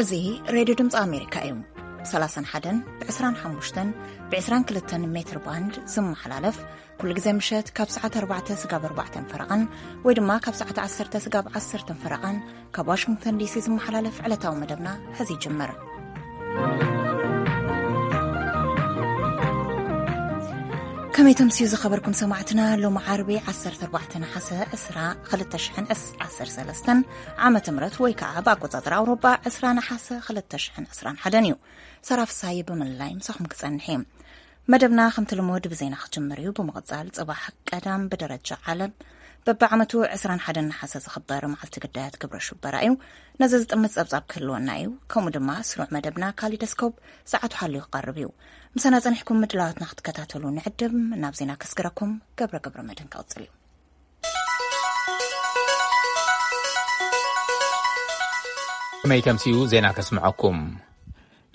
እዚ ሬድዮ ድምፂ ኣሜሪካ እዩ። ብ31 ብ25 ብ22 ሜትር ባንድ ዝመሓላለፍ፣ ኩሉ ግዜ ምሸት ካብ ሰዓት ኣርባዕተ ስጋብ ኣርባዕተን ፈረቓን፣ ወይ ድማ ካብ ሰዓት ዓሰርተ ስጋብ ዓሰርተን ፈረቓን ካብ ዋሽንግተን ዲሲ ዝመሓላለፍ ዕለታዊ መደብና ሕዚ ይጅምር። ከመይ ተምስዩ ዝኸበርኩም ሰማዕትና? ሎሚ ዓርቢ ዓሰርተ ኣርባዕተ ነሓሰ ዕስራ ክልተ ሽሕን ዓሰርተ ሰለስተን ዓመተ ምህረት፣ ወይ ከዓ ብኣቆጻጽራ ኣውሮጳ ዕስራ ነሓሰ ክልተ ሽሕን ዓሰርተ ሓደን እዩ። ሰራፍ ሳይ ብምልላይ ምሳኹም ክጸንሕ እየ። መደብና ከምቲ ልሙድ ብዜና ክጅምር እዩ። ብምቕጻል ጽባሕ ቀዳም ብደረጃ ዓለም በብዓመቱ ዕስራን ሓደን ነሓሰ ዝኽበር መዓልቲ ግዳያት ግብረ ሽበራ እዩ። ነዚ ዝጥምት ጸብጻብ ክህልወና እዩ። ከምኡ ድማ ስሩዕ መደብና ካሊደስኮፕ ሰዓቱ ሓልዩ ክቐርብ እዩ። ምሳና ጸኒሕኩም ምድላዋትና ክትከታተሉ ንዕድም። ናብ ዜና ከስግረኩም ገብረ ገብረ መድህን ክቕጽል እዩ። ከመይ ተምስዩ ዜና ከስምዐኩም።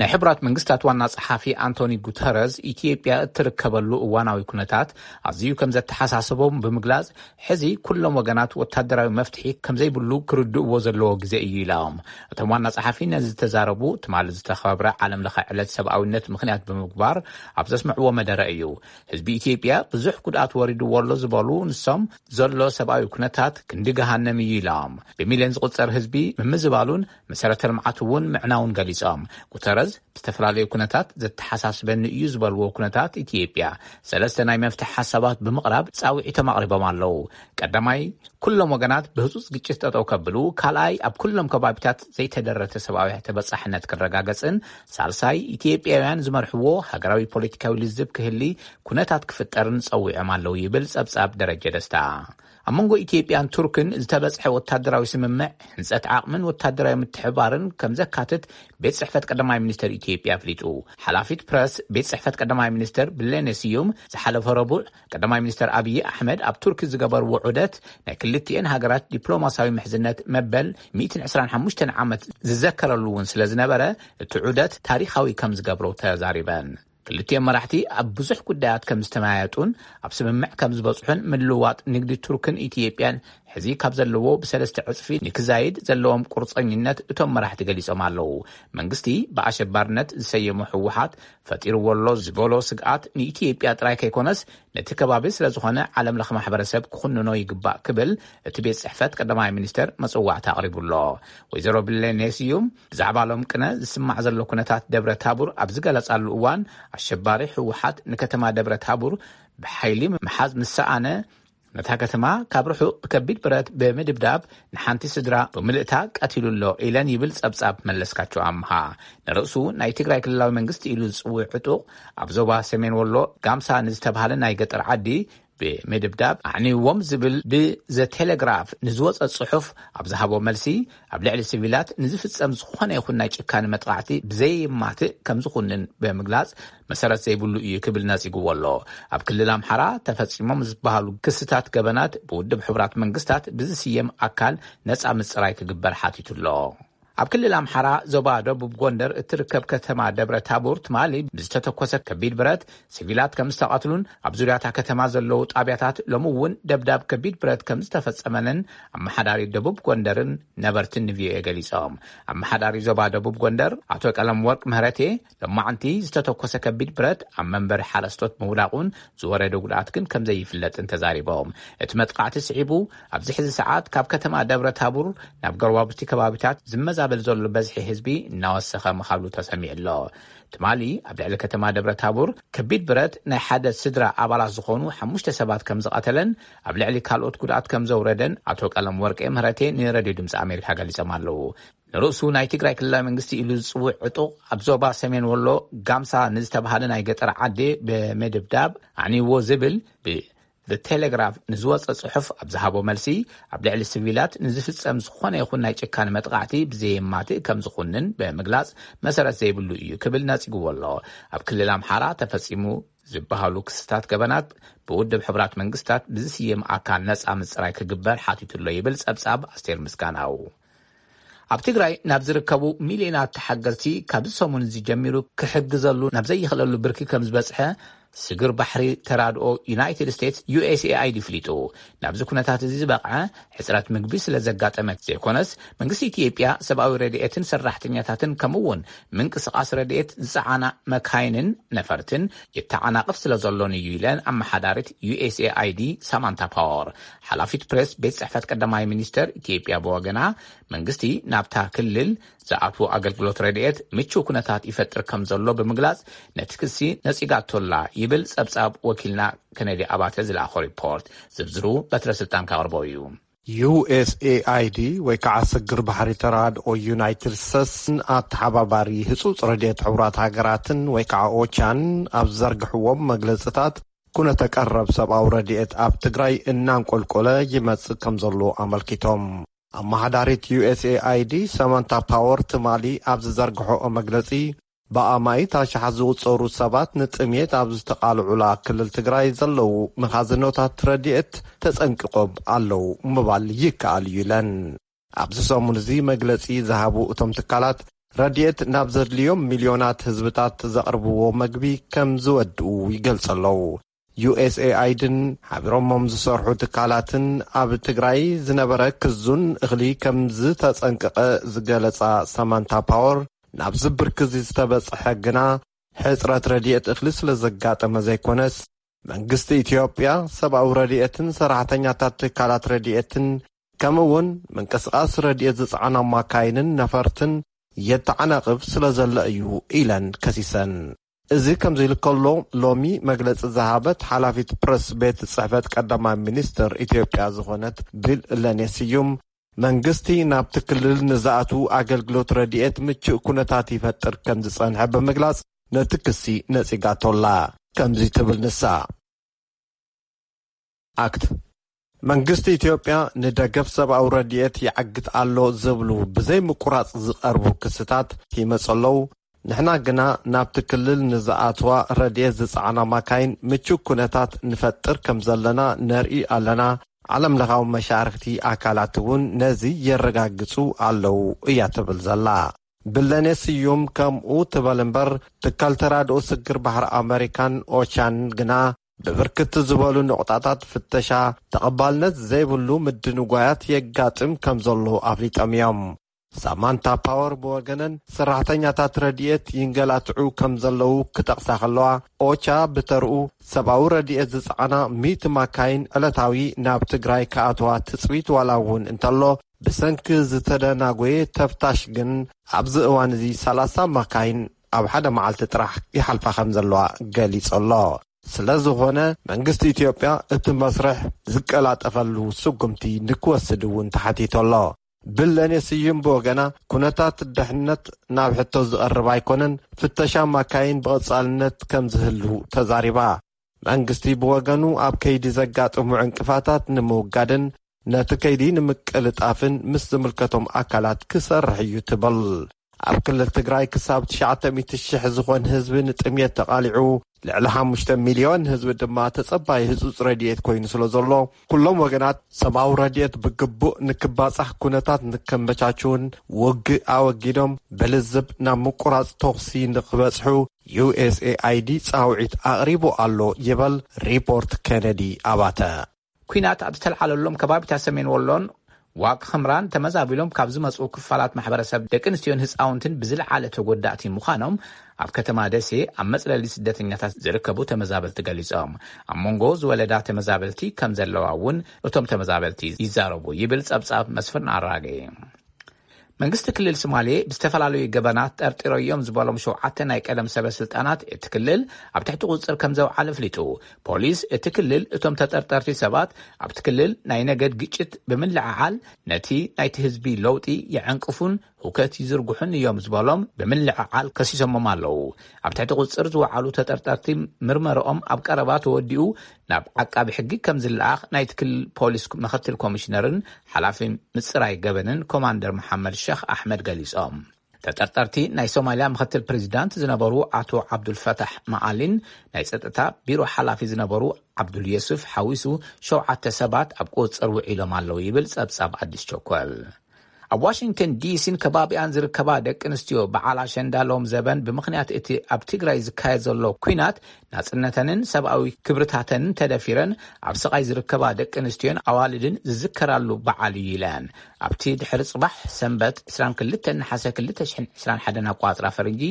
ናይ ሕቡራት መንግስታት ዋና ጸሓፊ ኣንቶኒ ጉተረዝ ኢትዮጵያ እትርከበሉ እዋናዊ ኩነታት ኣዝዩ ከም ዘተሓሳሰቦም ብምግላጽ፣ ሕዚ ኩሎም ወገናት ወታደራዊ መፍትሒ ከም ዘይብሉ ክርድእዎ ዘለዎ ግዜ እዩ ኢሎም። እቶም ዋና ጸሓፊ ነዚ ዝተዛረቡ ትማሊ ዝተኸብረ ዓለም ለኸ ዕለት ሰብኣዊነት ምኽንያት ብምግባር ኣብ ዘስምዕዎ መደረ እዩ። ህዝቢ ኢትዮጵያ ብዙሕ ጉድኣት ወሪድዎ ኣሎ ዝበሉ ንሶም፣ ዘሎ ሰብኣዊ ኩነታት ክንዲ ገሃነም እዩ ኢሎም። ብሚልዮን ዝቑጸር ህዝቢ ምምዝባሉን መሰረተ ልምዓት እውን ምዕናውን ገሊጾም። ጉተረዝ ብዝተፈላለዩ ኩነታት ዘተሓሳስበኒ እዩ ዝበልዎ ኩነታት ኢትዮጵያ ሰለስተ ናይ መፍትሒ ሓሳባት ብምቕራብ ጻውዒቶም ኣቕሪቦም ኣለዉ። ቀዳማይ፣ ኩሎም ወገናት ብህጹጽ ግጭት ጠጠው ከብሉ፣ ካልኣይ፣ ኣብ ኩሎም ከባቢታት ዘይተደረተ ሰብኣዊ ተበጻሕነት ክረጋገጽን፣ ሳልሳይ፣ ኢትዮጵያውያን ዝመርሕዎ ሃገራዊ ፖለቲካዊ ልዝብ ክህሊ ኩነታት ክፍጠርን ጸዊዖም ኣለዉ ይብል ጸብጻብ ደረጀ ደስታ። ኣብ መንጎ ኢትዮጵያን ቱርክን ዝተበጽሐ ወታደራዊ ስምምዕ፣ ህንጸት ዓቕምን ወታደራዊ ምትሕብባርን ከም ዘካትት ቤት ጽሕፈት ቀዳማይ ሚኒስተር ኢትዮጵያ ኣፍሊጡ። ሓላፊት ፕረስ ቤት ጽሕፈት ቀዳማይ ሚኒስተር ብሌኔ ስዩም ዝሓለፈ ረቡዕ ቀዳማይ ሚኒስተር ኣብይ ኣሕመድ ኣብ ቱርኪ ዝገበርዎ ዑደት፣ ናይ ክልቲኤን ሃገራት ዲፕሎማስያዊ ምሕዝነት መበል ሚእትን ዕስራን ሓሙሽተን ዓመት ዝዘከረሉ እውን ስለ ዝነበረ፣ እቲ ዑደት ታሪኻዊ ከም ዝገብሮ ተዛሪበን። ክልቲኦም መራሕቲ ኣብ ብዙሕ ጉዳያት ከም ዝተመያየጡን ኣብ ስምምዕ ከም ዝበጽሑን፣ ምልውዋጥ ንግዲ ቱርክን ኢትዮጵያን ሕዚ ካብ ዘለዎ ብሰለስተ ዕጽፊ ንክዛይድ ዘለዎም ቁርጸኝነት እቶም መራሕቲ ገሊጾም ኣለዉ። መንግስቲ ብኣሸባርነት ዝሰየሞ ህወሓት ፈጢርዎ ኣሎ ዝበሎ ስግኣት ንኢትዮጵያ ጥራይ ከይኮነስ፣ ነቲ ከባቢ ስለ ዝኾነ ዓለም ለኸ ማሕበረሰብ ክኹንኖ ይግባእ ክብል እቲ ቤት ጽሕፈት ቀዳማይ ሚኒስተር መጽዋዕታ ኣቕሪቡ ኣሎ። ወይዘሮ ብሌኔ ስዩም ብዛዕባ ሎም ቅነ ዝስማዕ ዘሎ ኩነታት ደብረ ታቡር ኣብ ዝገለጻሉ እዋን፣ ኣሸባሪ ህወሓት ንከተማ ደብረ ታቡር ብሓይሊ ምሓዝ ምስ ሰኣነ፣ ነታ ከተማ ካብ ርሑቕ ብከቢድ ብረት ብምድብዳብ ንሓንቲ ስድራ ብምልእታ ቀቲሉ ኣሎ ኢለን ይብል ጸብጻብ መለስካቸው ኣምሃ። ንርእሱ ናይ ትግራይ ክልላዊ መንግስቲ ኢሉ ዝጽውዕ ዕጡቕ፣ ኣብ ዞባ ሰሜን ወሎ ጋምሳ ንዝተባህለ ናይ ገጠር ዓዲ ብምድብዳብ ኣዕንዎም ዝብል ብዘ ቴሌግራፍ ንዝወጸ ጽሑፍ ኣብ ዝሃቦ መልሲ፣ ኣብ ልዕሊ ሲቪላት ንዝፍጸም ዝኾነ ይኹን ናይ ጭካኔ መጥቓዕቲ ብዘየማትእ ከም ዝኹንን ብምግላጽ፣ መሰረት ዘይብሉ እዩ ክብል ነጺግዎ ኣሎ። ኣብ ክልል ኣምሓራ ተፈጺሞም ዝበሃሉ ክስታት ገበናት ብውድብ ሕቡራት መንግስታት ብዝስየም ኣካል ነጻ ምጽራይ ክግበር ሓቲቱ ኣሎ። ኣብ ክልል ኣምሓራ ዞባ ደቡብ ጎንደር እትርከብ ከተማ ደብረ ታቦር ትማሊ ብዝተተኮሰ ከቢድ ብረት ሲቪላት ከም ዝተቐትሉን፣ ኣብ ዙርያታ ከተማ ዘለዉ ጣብያታት ሎሚ እውን ደብዳብ ከቢድ ብረት ከም ዝተፈጸመንን ኣመሓዳሪ ደቡብ ጎንደርን ነበርትን ንቪኦኤ ገሊጾም። ኣመሓዳሪ ዞባ ደቡብ ጎንደር ኣቶ ቀለም ወርቅ ምህረቴ፣ ሎማዕንቲ ዝተተኮሰ ከቢድ ብረት ኣብ መንበሪ ሓረስቶት ምውዳቑን ዝወረደ ጉድኣት ግን ከም ዘይፍለጥን ተዛሪቦም። እቲ መጥቃዕቲ ስዒቡ፣ ኣብዚ ሕዚ ሰዓት ካብ ከተማ ደብረ ታቡር ናብ ጎረባብቲ ከባቢታት ዝመዛበል ዘሎ በዝሒ ህዝቢ እናወሰኸ ምኻሉ ተሰሚዑ ኣሎ። ትማሊ ኣብ ልዕሊ ከተማ ደብረ ታቡር ከቢድ ብረት ናይ ሓደ ስድራ ኣባላት ዝኾኑ ሓሙሽተ ሰባት ከም ዝቐተለን ኣብ ልዕሊ ካልኦት ጉድኣት ከም ዘውረደን ኣቶ ቀለም ወርቄ ምህረቴ ንሬድዮ ድምፂ ኣሜሪካ ገሊጾም ኣለዉ። ንርእሱ ናይ ትግራይ ክልላዊ መንግስቲ ኢሉ ዝጽውዕ ዕጡቕ ኣብ ዞባ ሰሜን ወሎ ጋምሳ ንዝተባሃለ ናይ ገጠር ዓዲ ብምድብዳብ ኣዕንይዎ ዝብል ብ ቴሌግራፍ ንዝወጸ ጽሑፍ ኣብ ዝሃቦ መልሲ፣ ኣብ ልዕሊ ሲቪላት ንዝፍጸም ዝኾነ ይኹን ናይ ጭካኔ መጥቓዕቲ ብዘየማትእ ከም ዝኹንን ብምግላጽ፣ መሰረት ዘይብሉ እዩ ክብል ነጺግዎ ኣሎ። ኣብ ክልል ኣምሓራ ተፈጺሙ ዝበሃሉ ክስታት ገበናት ብውድብ ሕቡራት መንግስታት ብዝስየም ኣካል ነጻ ምጽራይ ክግበር ሓቲቱ ኣሎ ይብል ጸብጻብ ኣስቴር ምስጋናው። ኣብ ትግራይ ናብ ዝርከቡ ሚልዮናት ተሓገዝቲ ካብዚ ሰሙን እዚ ጀሚሩ ክሕግዘሉ ናብ ዘይኽእለሉ ብርኪ ከም ዝበጽሐ ስግር ባሕሪ ተራድኦ ዩናይትድ ስቴትስ፣ ዩ ኤስ ኤ ኣይ ዲ፣ ፍሊጡ። ናብዚ ኩነታት እዚ ዝበቕዐ ሕጽረት ምግቢ ስለ ዘጋጠመ ዘይኮነስ፣ መንግስቲ ኢትዮጵያ ሰብኣዊ ረድኤትን ሰራሕተኛታትን ከምኡ እውን ምንቅስቓስ ረድኤት ዝጸዓና መካይንን ነፈርትን የተዓናቕፍ ስለ ዘሎን እዩ ኢለን ኣመሓዳሪት ዩ ኤስ ኤ ኣይ ዲ ሳማንታ ፓወር። ሓላፊት ፕሬስ ቤት ጽሕፈት ቀዳማይ ሚኒስተር ኢትዮጵያ ብወገና፣ መንግስቲ ናብታ ክልል ዝኣትዉ ኣገልግሎት ረድኤት ምቹው ኩነታት ይፈጥር ከም ዘሎ ብምግላጽ፣ ነቲ ክሲ ነጺጋቶላ ይብል ጸብጻብ ወኪልና ከነዲ ኣባተ ዝለኣኾ ሪፖርት። ዝርዝሩ በትረ ስልጣን ካቕርቦ እዩ። ዩ ኤስ ኤ ኣይ ዲ ወይ ከዓ ስግር ባሕሪ ተራድኦ ዩናይትድ ስቴትስን ኣተሓባባሪ ህፁፅ ረድኤት ሕቡራት ሃገራትን ወይ ከዓ ኦቻን ኣብ ዘርግሕዎም መግለፅታት፣ ኩነተ ቀረብ ሰብኣዊ ረድኤት ኣብ ትግራይ እናንቆልቆለ ይመፅእ ከም ዘሎ ኣመልኪቶም። ኣመሓዳሪት ዩ ኤስ ኤ ኣይ ዲ ሳማንታ ፓወር ትማሊ ኣብ ዝዘርግሖኦ መግለፂ፣ ብኣማኢት ኣሽሓት ዝቑጸሩ ሰባት ንጥሜት ኣብ ዝተቓልዑላ ክልል ትግራይ ዘለዉ መኻዝኖታት ረድኤት ተጸንቂቖም ኣለዉ ምባል ይከኣል እዩ ኢለን። ኣብዚ ሰሙን እዚ መግለጺ ዝሃቡ እቶም ትካላት፣ ረድኤት ናብ ዘድልዮም ሚልዮናት ህዝብታት ዘቕርብዎ መግቢ ከም ዝወድኡ ይገልጹ ኣለዉ። ዩ ኤስ ኤ ኣይ ዲን ሓቢሮሞም ዝሰርሑ ትካላትን ኣብ ትግራይ ዝነበረ ክዙን እኽሊ ከም ዝተጸንቀቐ ዝገለጻ ሳማንታ ፓወር፣ ናብዚ ብርኪ እዚ ዝተበጽሐ ግና ሕጽረት ረድኤት እኽሊ ስለ ዘጋጠመ ዘይኮነስ፣ መንግስቲ ኢትዮጵያ ሰብኣዊ ረድኤትን ሰራሕተኛታት ትካላት ረድኤትን ከምኡ እውን ምንቅስቓስ ረድኤት ዝጸዓና ማካይንን ነፈርትን የተዓናቕፍ ስለ ዘሎ እዩ ኢለን ከሲሰን። እዚ ከምዚ ኢሉ ከሎ፣ ሎሚ መግለጺ ዝሃበት ሓላፊት ፕረስ ቤት ጽሕፈት ቀዳማይ ሚኒስትር ኢትዮጵያ ዝኾነት ቢለኔ ስዩም፣ መንግስቲ ናብቲ ክልል ንዝኣትዉ ኣገልግሎት ረድኤት ምቹእ ኩነታት ይፈጥር ከም ዝጸንሐ ብምግላጽ፣ ነቲ ክሲ ነጺጋቶላ። ከምዚ ትብል ንሳ። ኣክት መንግስቲ ኢትዮጵያ ንደገፍ ሰብኣዊ ረድኤት ይዓግት ኣሎ ዝብሉ ብዘይ ምቁራጽ ዝቐርቡ ክስታት ይመጹ ኣለዉ። ንሕና ግና ናብቲ ክልል ንዝኣትዋ ረድኤት ዝጸዓና ማካይን ምቹእ ኩነታት ንፈጥር ከም ዘለና ነርኢ ኣለና። ዓለም ለኻዊ መሻርክቲ ኣካላት እውን ነዚ የረጋግጹ ኣለዉ እያ ትብል ዘላ። ብለኔ ስዩም ከምኡ ትበል እምበር፣ ትካል ተራድኦ ስግር ባሕሪ ኣመሪካን ኦቻን ግና ብብርክት ዝበሉ ነቑጣታት ፍተሻ ተቐባልነት ዘይብሉ ምድንጓያት የጋጥም ከም ዘሎ ኣፍሊጦም እዮም። ሳማንታ ፓወር ብወገነን፣ ሰራሕተኛታት ረድኤት ይንገላትዑ ከም ዘለዉ ክጠቕሳ ከለዋ፣ ኦቻ ብተርኡ ሰብኣዊ ረድኤት ዝጸዓና ሚእቲ ማካይን ዕለታዊ ናብ ትግራይ ክኣትዋ ትጽቢት ዋላ እውን እንተሎ፣ ብሰንኪ ዝተደናጎየ ተፍታሽ ግን ኣብዚ እዋን እዚ ሰላሳ ማካይን ኣብ ሓደ መዓልቲ ጥራሕ ይሓልፋ ከም ዘለዋ ገሊጹ ኣሎ። ስለ ዝኾነ መንግስቲ ኢትዮጵያ እቲ መስርሕ ዝቀላጠፈሉ ስጉምቲ ንክወስድ እውን ተሓቲቱ ኣሎ። ብለኔ ስዩም ብወገና፣ ኩነታት ድሕነት ናብ ሕቶ ዝቐርብ ኣይኮነን፣ ፍተሻ ማካይን ብቐጻልነት ከም ዝህሉ ተዛሪባ። መንግስቲ ብወገኑ ኣብ ከይዲ ዘጋጥሙ ዕንቅፋታት ንምውጋድን ነቲ ከይዲ ንምቅልጣፍን ምስ ዝምልከቶም ኣካላት ክሰርሕ እዩ ትብል። ኣብ ክልል ትግራይ ክሳብ ትሽዓተ ሚእቲ ሽሕ ዝኾን ህዝቢ ንጥምየት ተቓሊዑ፣ ልዕሊ ሓሙሽተ ሚልዮን ህዝቢ ድማ ተጸባይ ህጹጽ ረድኤት ኮይኑ ስለ ዘሎ፣ ኩሎም ወገናት ሰብኣዊ ረድኤት ብግቡእ ንክባጻሕ ኩነታት ንከመቻችውን ውግእ ኣወጊዶም ብልዝብ ናብ ምቁራጽ ተኹሲ ንክበጽሑ ዩ ኤስ ኤ ኣይ ዲ ጻውዒት ኣቕሪቡ ኣሎ ይበል ሪፖርት ኬነዲ ኣባተ። ኲናት ኣብ ዝተልዓለሎም ከባቢታት ሰሜን ወሎን ዋግ ኽምራን ተመዛቢሎም ካብ ዝመጽኡ ክፋላት ማሕበረሰብ ደቂ ኣንስትዮን ህፃውንትን ብዝለዓለ ተጎዳእቲ ምዃኖም ኣብ ከተማ ደሴ ኣብ መጽለሊ ስደተኛታት ዝርከቡ ተመዛበልቲ ገሊጾም። ኣብ መንጎ ዝወለዳ ተመዛበልቲ ከም ዘለዋ እውን እቶም ተመዛበልቲ ይዛረቡ ይብል ጸብጻብ መስፍን ኣራጌ። መንግስቲ ክልል ሶማሌ ብዝተፈላለዩ ገበናት ጠርጢረዮም ዝበሎም ሸውዓተ ናይ ቀደም ሰበ ስልጣናት እቲ ክልል ኣብ ትሕቲ ቁፅፅር ከም ዘውዓለ ኣፍሊጡ። ፖሊስ እቲ ክልል እቶም ተጠርጠርቲ ሰባት ኣብቲ ክልል ናይ ነገድ ግጭት ብምልዕዓል ነቲ ናይቲ ህዝቢ ለውጢ የዕንቅፉን ህውከት ይዝርግሑን እዮም ዝበሎም ብምልዕዓል ከሲሶሞም ኣለዉ። ኣብ ትሕቲ ቁፅፅር ዝወዓሉ ተጠርጠርቲ ምርመርኦም ኣብ ቀረባ ተወዲኡ ናብ ዓቃቢ ሕጊ ከም ዝለኣኽ ናይቲ ክልል ፖሊስ ምክትል ኮሚሽነርን ሓላፊ ምፅራይ ገበንን ኮማንደር መሓመድ ሸኽ ኣሕመድ ገሊፆም። ተጠርጠርቲ ናይ ሶማልያ ምክትል ፕሬዚዳንት ዝነበሩ ኣቶ ዓብዱልፈታሕ መዓሊን ናይ ጸጥታ ቢሮ ሓላፊ ዝነበሩ ዓብዱል የሱፍ ሓዊሱ ሸውዓተ ሰባት ኣብ ቁጽጽር ውዒሎም ኣለዉ ይብል ጸብጻብ ኣዲስ ቸኮል። ኣብ ዋሽንግተን ዲሲን ከባቢኣን ዝርከባ ደቂ ኣንስትዮ በዓል ኣሸንዳ ሎም ዘበን ብምኽንያት እቲ ኣብ ትግራይ ዝካየድ ዘሎ ኲናት ናጽነተንን ሰብኣዊ ክብርታተንን ተደፊረን ኣብ ስቓይ ዝርከባ ደቂ ኣንስትዮን ኣዋልድን ዝዝከራሉ በዓል እዩ ኢለን። ኣብቲ ድሕሪ ጽባሕ ሰንበት ዕስራን ክልተን ነሓሰ ክልተ ሽሕን ዕስራን ሓደን ኣቋጽራ ፈረንጂ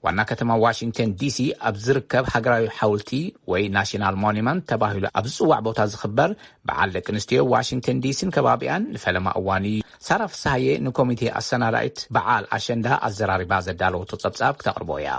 ዋና ከተማ ዋሽንግተን ዲሲ ኣብ ዝርከብ ሃገራዊ ሓውልቲ ወይ ናሽናል ሞኒመንት ተባሂሉ ኣብ ዝጽዋዕ ቦታ ዝኽበር በዓል ደቂ ኣንስትዮ ዋሽንግተን ዲሲን ከባቢኣን ንፈለማ እዋን እዩ። ሳራ ፍስሃየ ንኮሚቴ ኣሰናዳኢት በዓል ኣሸንዳ ኣዘራሪባ ዘዳለወቶ ጸብጻብ ክተቕርቦ እያ።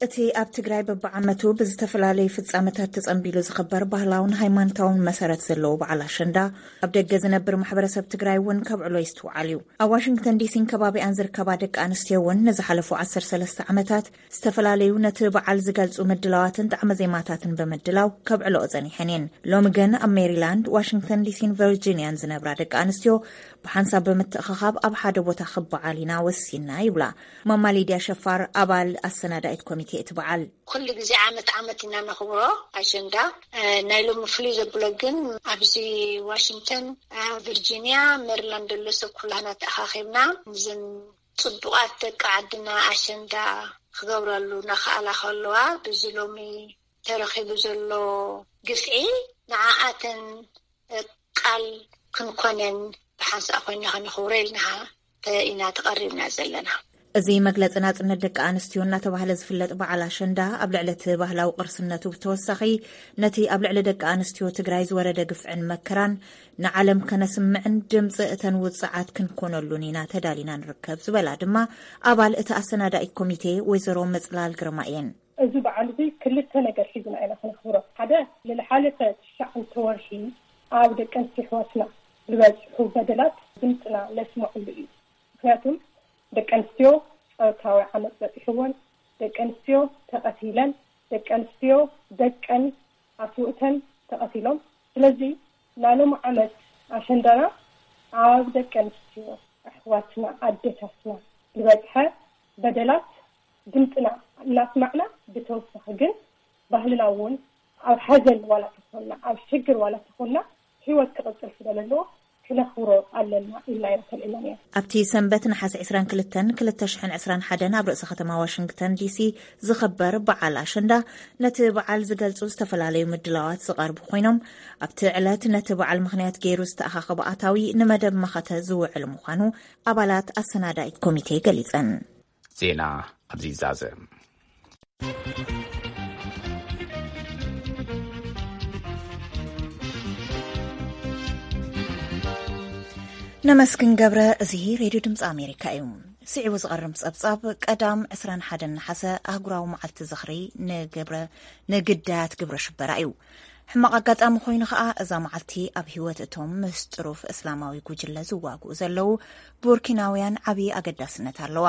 እቲ ኣብ ትግራይ በብዓመቱ ብዝተፈላለዩ ፍጻመታት ተጸንቢሉ ዝኽበር ባህላውን ሃይማኖታውን መሰረት ዘለዎ በዓል ኣሸንዳ፣ ኣብ ደገ ዝነብር ማሕበረሰብ ትግራይ እውን ከብዕሎ ይስትውዓል እዩ። ኣብ ዋሽንግተን ዲሲን ከባቢኣን ዝርከባ ደቂ ኣንስትዮ እውን ንዝሓለፉ ዓሰርተ ሰለስተ ዓመታት ዝተፈላለዩ ነቲ በዓል ዝገልጹ ምድላዋትን ጣዕመ ዜማታትን ብምድላው ከብዕሎኦ ጸኒሐን እየን። ሎሚ ግን ኣብ ሜሪላንድ፣ ዋሽንግተን ዲሲን ቨርጂንያን ዝነብራ ደቂ ኣንስትዮ ብሓንሳብ ብምትእኽኻብ ኣብ ሓደ ቦታ ክበዓል ኢና ወሲና ይብላ ማማ ሊድያ ሸፋር፣ ኣባል ኣሰናዳኢት ኮሚቴ እቲ በዓል። ኩሉ ግዜ ዓመት ዓመት ኢና ነኽብሮ ኣሸንዳ። እ፣ ናይ ሎሚ ፍሉይ ዘብሎ ግን ኣብዚ ዋሽንግተን፣ እ፣ ቪርጂንያ፣ ሜሪላንድ ዘሎ ሰብ ኩላህና ተኣኻኺብና ንዘን ጽቡቓት ደቂ ዓድና ኣሸንዳ ክገብረሉ እናኸኣላ ከለዋ፣ ብዚ ሎሚ ተረኺቡ ዘሎ ግፍዒ ንዓኣተን ቃል ክንኮነን ብሓንሳእ ኮይና ከነኽብሮ ኢልና ተ-፣ ኢና ተቐሪብና ዘለና። እዚ መግለጺ ናጽነት ደቂ ኣንስትዮ እናተባህለ ዝፍለጥ በዓል ኣሸንዳ፣ ኣብ ልዕሊ እቲ ባህላዊ ቅርስነቱ ብተወሳኺ፣ ነቲ ኣብ ልዕሊ ደቂ ኣንስትዮ ትግራይ ዝወረደ ግፍዕን መከራን ንዓለም ከነስምዕን ድምጺ እተን ውጽዓት ክንኮነሉን ኢና ተዳሊና ንርከብ ዝበላ ድማ ኣባል እቲ ኣሰናዳኢት ኮሚቴ ወይዘሮ መጽላል ግርማ እየን። እዚ በዓል እዚ ክልተ ነገር ሒዝና ኢና ከነኽብሮ። ሓደ፣ ንዝሓለፈ ትሽዓተ ወርሒ ኣብ ደቂ ኣንስትዮ ኣሕዋትና ዝበፅሑ በደላት ድምፅና ነስምዐሉ እዩ። ምክንያቱም ደቂ ኣንስትዮ ፆታዊ ዓመፅ በፂሕወን፣ ደቂ ኣንስትዮ ተቐቲለን፣ ደቂ ኣንስትዮ ደቀን ኣስውእተን ተቐቲሎም። ስለዚ ናይ ሎሚ ዓመት ኣሸንዳና ኣብ ደቂ ኣንስትዮ ኣሕዋትና ኣዴታትና ዝበፅሐ በደላት ድምፅና እናስማዕና፣ ብተወሳኺ ግን ባህልና እውን ኣብ ሓዘን ዋላ ተኾንና፣ ኣብ ሽግር ዋላ ተኾንና፣ ህይወት ክቕፅል ስለ ዘለዎ ክነኽብሮ ኣለና ኢልና ኢና ተልዒልና ነይሩ። ኣብቲ ሰንበት ነሓሰ ዕስራን ክልተን ክልተ ሽሕን ዕስራን ሓደን ኣብ ርእሰ ከተማ ዋሽንግተን ዲሲ ዝኽበር በዓል ኣሸንዳ፣ ነቲ በዓል ዝገልጹ ዝተፈላለዩ ምድላዋት ዝቐርቡ ኮይኖም፣ ኣብቲ ዕለት ነቲ በዓል ምኽንያት ገይሩ ዝተኣኻኸበ ኣታዊ ንመደብ መኸተ ዝውዕል ምዃኑ ኣባላት ኣሰናዳኢት ኮሚቴ ገሊጸን። ዜና ኣብዚ ይዛዘም። ነመስግን ገብረ። እዚ ሬድዮ ድምፂ ኣሜሪካ እዩ። ስዒቡ ዝቐርብ ጸብጻብ፣ ቀዳም ዕስራን ሓደን ነሓሰ ኣህጉራዊ መዓልቲ ዝኽሪ ንግብረ-፣ ንግዳያት ግብረ ሽበራ እዩ። ሕማቕ ኣጋጣሚ ኮይኑ ኸኣ፣ እዛ መዓልቲ ኣብ ህይወት እቶም ምስ ጥሩፍ እስላማዊ ጉጅለ ዝዋግኡ ዘለዉ ቡርኪናውያን ዓብዪ ኣገዳስነት ኣለዋ።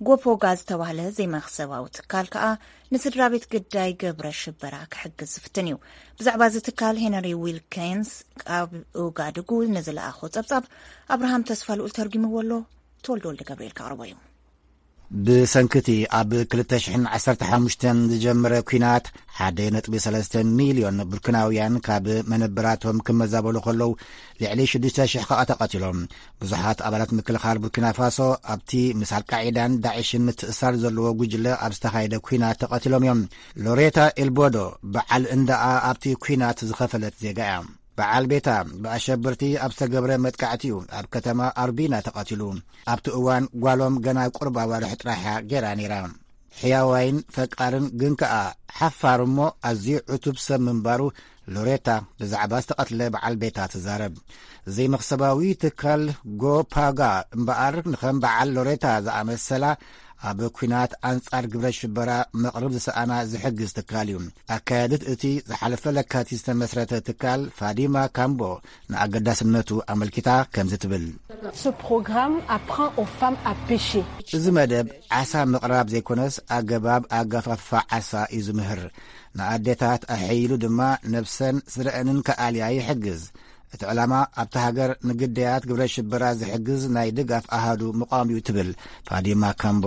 ጎፖጋ ዝተባህለ ዘይመኽሰባዊ ትካል ከኣ ንስድራ ቤት ግዳይ ግብረ ሽበራ ክሕግዝ ዝፍትን እዩ። ብዛዕባ እዚ ትካል ሄነሪ ዊልኪንስ ካብ ኡጋድጉ ንዝለኣኾ ጸብጻብ ኣብርሃም ተስፋ ልኡል ተርጒምዎ ኣሎ። ተወልደ ወልደ ገብርኤል ከቕርቦ እዩ። ብሰንኪ እቲ ኣብ ክልተ ሽሕን ዓሰርተ ሓሙሽተን ዝጀመረ ኲናት፣ ሓደ ነጥቢ ሰለስተ ሚልዮን ቡርኪናውያን ካብ መነበራቶም ክመዛበሉ ከለዉ፣ ልዕሊ ሽዱሽተ ሽሕ ከኣ ተቐቲሎም። ብዙሓት ኣባላት ምክልኻል ቡርኪና ፋሶ ኣብቲ ምስ ኣልቃዒዳን ዳዕሽን ምትእሳር ዘለዎ ጉጅለ ኣብ ዝተኻየደ ኲናት ተቐቲሎም እዮም። ሎሬታ ኤልቦዶ በዓል እንዳኣ ኣብቲ ኲናት ዝኸፈለት ዜጋ እያ። በዓል ቤታ ብኣሸበርቲ ኣብ ዝተገብረ መጥቃዕቲ እዩ ኣብ ከተማ ኣርቢና ተቐቲሉ። ኣብቲ እዋን ጓሎም ገና ቁሩብ ኣዋርሕ ጥራሕ እያ ገይራ ነይራ። ሕያዋይን ፈቃርን ግን ከኣ ሓፋር እሞ ኣዝዩ ዕቱብ ሰብ ምንባሩ ሎሬታ ብዛዕባ ዝተቐትለ በዓል ቤታ ትዛረብ። ዘይመኽሰባዊ ትካል ጎፓጋ እምበኣር ንኸም በዓል ሎሬታ ዝኣመሰላ ኣብ ኲናት ኣንጻር ግብረ ሽበራ መቕርብ ዝሰኣና ዝሕግዝ ትካል እዩ። ኣካያዲት እቲ ዝሓለፈ ለካቲት ዝተመስረተ ትካል ፋዲማ ካምቦ ንኣገዳስነቱ ኣመልኪታ ከምዚ ትብል። Ce programme apprend aux femmes à pêcher. እዚ መደብ ዓሳ ምቕራብ ዘይኮነስ ኣገባብ ኣገፋፍፋ ዓሳ እዩ ዝምህር። ንኣዴታት ኣሐይሉ ድማ ነብሰን ስድረአንን ክኣልያ ይሕግዝ። እቲ ዕላማ ኣብታ ሃገር ንግዳያት ግብረ ሽበራ ዝሕግዝ ናይ ድጋፍ ኣሃዱ ምቋም እዩ ትብል ፋዲማ ካምቦ።